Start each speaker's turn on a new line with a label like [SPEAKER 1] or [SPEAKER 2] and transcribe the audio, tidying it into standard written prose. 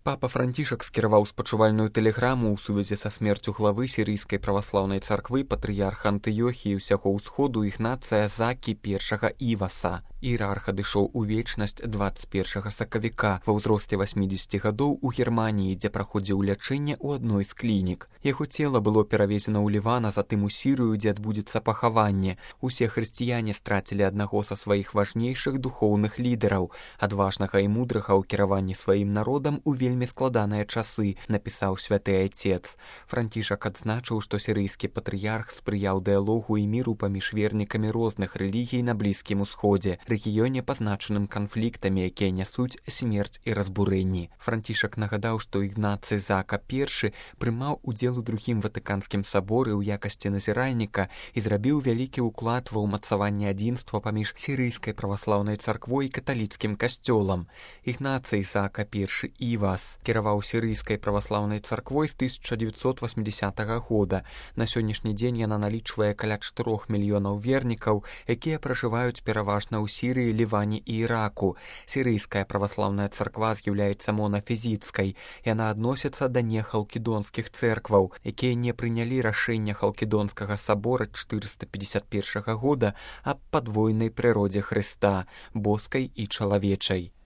[SPEAKER 1] Папа Францішак скіраваў спачувальную тэлеграму ў сувязі са смерцю главы сірыйскай праваслаўнай царквы патрыярха Антыёхіі ўсяго ўсходу Ігнацыя Закі I Іваса. Іерарх адышоў у вечнасць 21 сакавіка ва ўзросце 80 гадоў у Германіі, дзе праходзіў лячэнне ў адной з клінік. Яго цела было перавезена ў Ліван, а затым у Сірыю, дзе адбудзецца пахаванне. Усе хрысціяне страцілі аднаго са сваіх важнейшых духоўных лідараў, адважнага і мудрага ў кіраванні сваім народам у вельмі складаныя часы, напісаў святы айцец. Францішак адзначыў, што сірыйскі патрыярх спрыяў дыялогу і міру паміж вернікамі розных рэлігій на Блізкім Усходзе, рэгіёне, пазначаным канфліктамі, якія нясуць смерць і разбурэнні. Францішак нагадаў, што Ігнацый Зака I прымаў удзел у другім Ватыканскім саборы ў якасці назіральніка і зрабіў вялікі ўклад ва ўмацаванне адзінства паміж сірыйскай праваслаўнай царквой і каталіцкім касцёлам. Ігнацый Зака I Івас кіраваў сірыйскай праваслаўнай царквой з 1980 года. На сённяшні дзень яна налічвае каля 4 мільёнаў вернікаў, якія пражываюць пераважна ў Сірыі, Ліване і Іраку. Сірыйская праваслаўная царква з'яўляецца монафізіцкай. Яна адносіцца да нехалкідонскіх цэркваў, якія не прынялі рашэння Халкідонскага сабора 451 года аб падвойнай прыродзе Хрыста, боскай і чалавечай.